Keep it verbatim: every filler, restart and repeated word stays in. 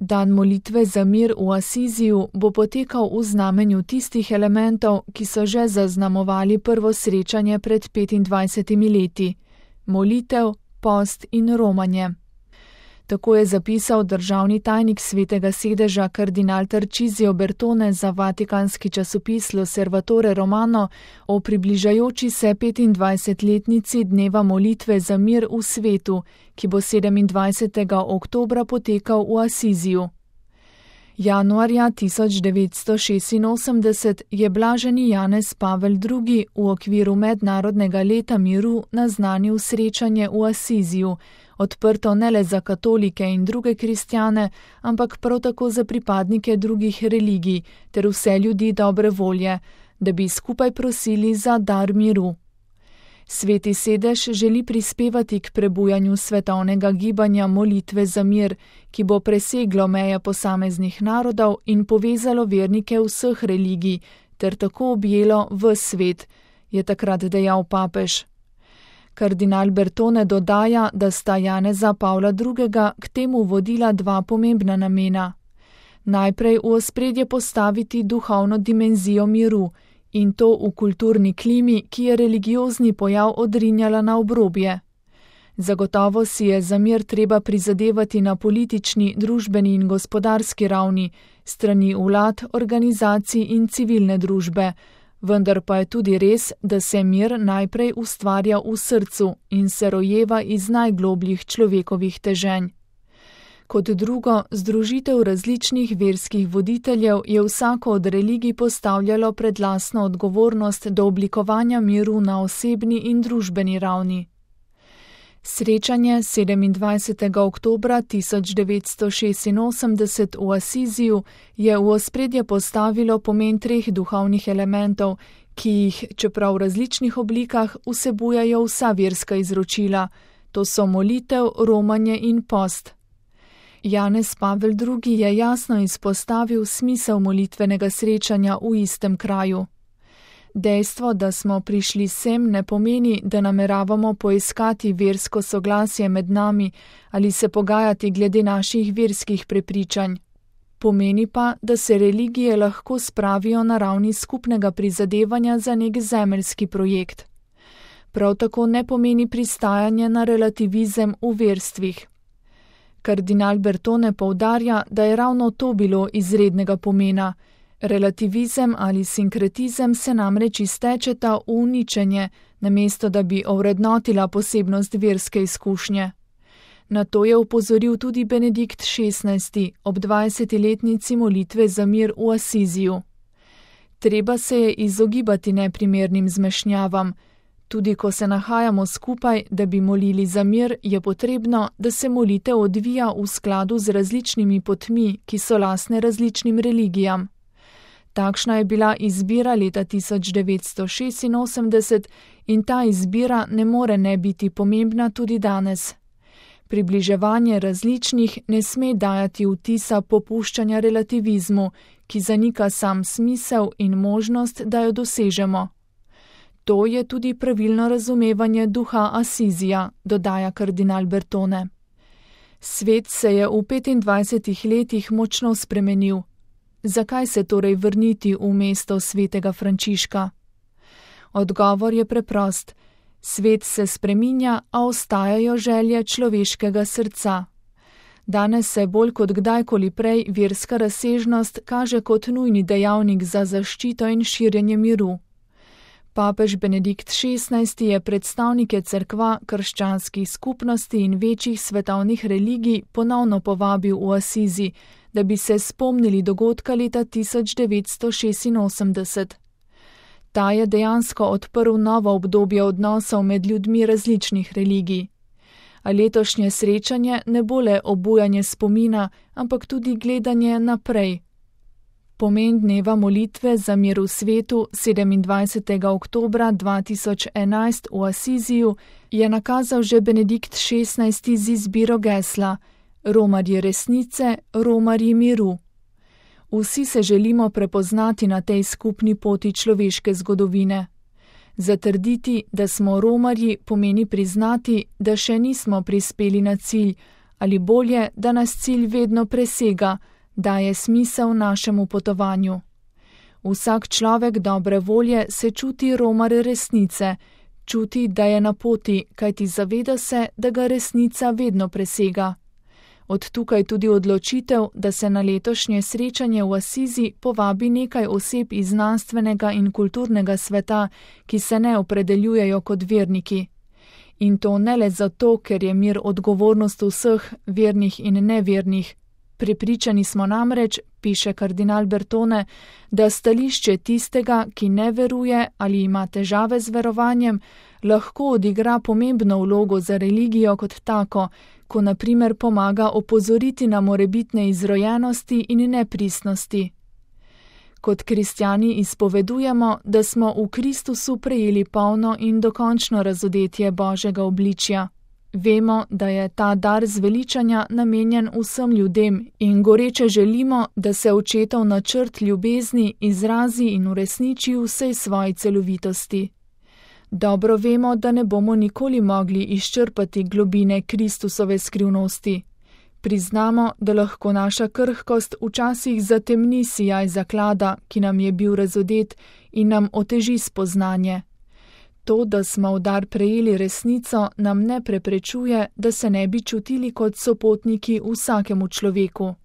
Dan molitve za mir v Asiziju bo potekal v znamenju tistih elementov, ki so že zaznamovali prvo srečanje pred petindvajsetimi leti: molitev, post in romanje. Tako je zapisal državni tajnik Svetega sedeža kardinal Tarcisio Bertone za vatikanski časopis L'Osservatore Romano o približajoči se petindvajsetletnici dneva molitve za mir v svetu, ki bo sedemindvajsetega oktobra potekal v Asiziju. Januarja tisoč devetsto šestinosemdeset je blaženi Janez Pavel drugi v okviru mednarodnega leta miru naznanil srečanje v Asiziju, odprto ne le za katolike in druge kristjane, ampak prav tako za pripadnike drugih religij ter vse ljudi dobre volje, da bi skupaj prosili za dar miru. Sveti sedež želi prispevati k prebujanju svetovnega gibanja molitve za mir, ki bo preseglo meje posameznih narodov in povezalo vernike vseh religij, ter tako objelo ves svet, je takrat dejal papež. Kardinal Bertone dodaja, da sta Janeza Pavla drugega k temu vodila dva pomembna namena. Najprej v ospredje postaviti duhovno dimenzijo miru, in to v kulturni klimi, ki je religiozni pojav odrinjala na obrobje. Zagotovo si je za mir treba prizadevati na politični, družbeni in gospodarski ravni, strani vlad, organizacij in civilne družbe, vendar pa je tudi res, da se mir najprej ustvarja v srcu in se rojeva iz najglobljih človekovih teženj. Kot drugo, združitev različnih verskih voditeljev je vsako od religij postavljalo pred lastno odgovornost do oblikovanja miru na osebni in družbeni ravni. Srečanje sedemindvajsetega oktobra tisoč devetsto šestinosemdeset v Asiziju je v ospredje postavilo pomen treh duhovnih elementov, ki jih, čeprav v različnih oblikah, vsebujajo vsa verska izročila, to so molitev, romanje in post. Janez Pavel drugi je jasno izpostavil smisel molitvenega srečanja v istem kraju. Dejstvo, da smo prišli sem, ne pomeni, da nameravamo poiskati versko soglasje med nami ali se pogajati glede naših verskih prepričanj. Pomeni pa, da se religije lahko spravijo na ravni skupnega prizadevanja za nek zemeljski projekt. Prav tako ne pomeni pristajanje na relativizem v verstvih. Kardinal Bertone poudarja, da je ravno to bilo izrednega pomena. Relativizem ali sinkretizem se namreč iztečeta v uničenje, namesto da bi ovrednotila posebnost verske izkušnje. Na to je opozoril tudi Benedikt šestnajsti ob dvajsetletnici molitve za mir v Asiziju. Treba se je izogibati neprimernim zmešnjavam. Tudi ko se nahajamo skupaj, da bi molili za mir, je potrebno, da se molitev odvija v skladu z različnimi potmi, ki so lastne različnim religijam. Takšna je bila izbira leta tisoč devetsto šestinosemdeset in ta izbira ne more ne biti pomembna tudi danes. Približevanje različnih ne sme dajati vtisa popuščanja relativizmu, ki zanika sam smisel in možnost, da jo dosežemo. To je tudi pravilno razumevanje duha Asizija, dodaja kardinal Bertone. Svet se je v petindvajsetih letih močno spremenil. Zakaj se torej vrniti v mesto svetega Frančiška? Odgovor je preprost. Svet se spreminja, a ostajajo želje človeškega srca. Danes se bolj kot kdajkoli prej verska razsežnost kaže kot nujni dejavnik za zaščito in širjenje miru. Papež Benedikt šestnajsti je predstavnike cerkva, krščanskih skupnosti in večjih svetovnih religij ponovno povabil v Asizi, da bi se spomnili dogodka leta tisoč devetsto šestinosemdeset. Ta je dejansko odprl novo obdobje odnosov med ljudmi različnih religij. A letošnje srečanje ne bo le obujanje spomina, ampak tudi gledanje naprej. Pomen dneva molitve za mir v svetu sedemindvajsetega oktobra dva tisoč enajst v Asiziju je nakazal že Benedikt šestnajsti z izbiro gesla Romarji resnice, romarji miru. Vsi se želimo prepoznati na tej skupni poti človeške zgodovine. Zatrditi, da smo romarji, pomeni priznati, da še nismo prispeli na cilj, ali bolje, da nas cilj vedno presega, daje smisel našemu potovanju. Vsak človek dobre volje se čuti romar resnice, čuti, da je na poti, kajti zaveda se, da ga resnica vedno presega. Od tukaj tudi odločitev, da se na letošnje srečanje v Asizi povabi nekaj oseb iz znanstvenega in kulturnega sveta, ki se ne opredeljujejo kot verniki. In to ne le zato, ker je mir odgovornost vseh, vernih in nevernih. Prepričani smo namreč, piše kardinal Bertone, da stališče tistega, ki ne veruje ali ima težave z verovanjem, lahko odigra pomembno vlogo za religijo kot tako, ko na primer pomaga opozoriti na morebitne izrojenosti in nepristnosti. Kot kristjani izpovedujemo, da smo v Kristusu prejeli polno in dokončno razodetje Božjega obličja. Vemo, da je ta dar zveličanja namenjen vsem ljudem in goreče želimo, da se očetov načrt ljubezni izrazi in uresniči v vsej svoji celovitosti. Dobro vemo, da ne bomo nikoli mogli izčrpati globine Kristusove skrivnosti. Priznamo, da lahko naša krhkost včasih zatemni sijaj zaklada, ki nam je bil razodet in nam oteži spoznanje. To, da smo v dar prejeli resnico, nam ne preprečuje, da se ne bi čutili kot sopotniki vsakemu človeku.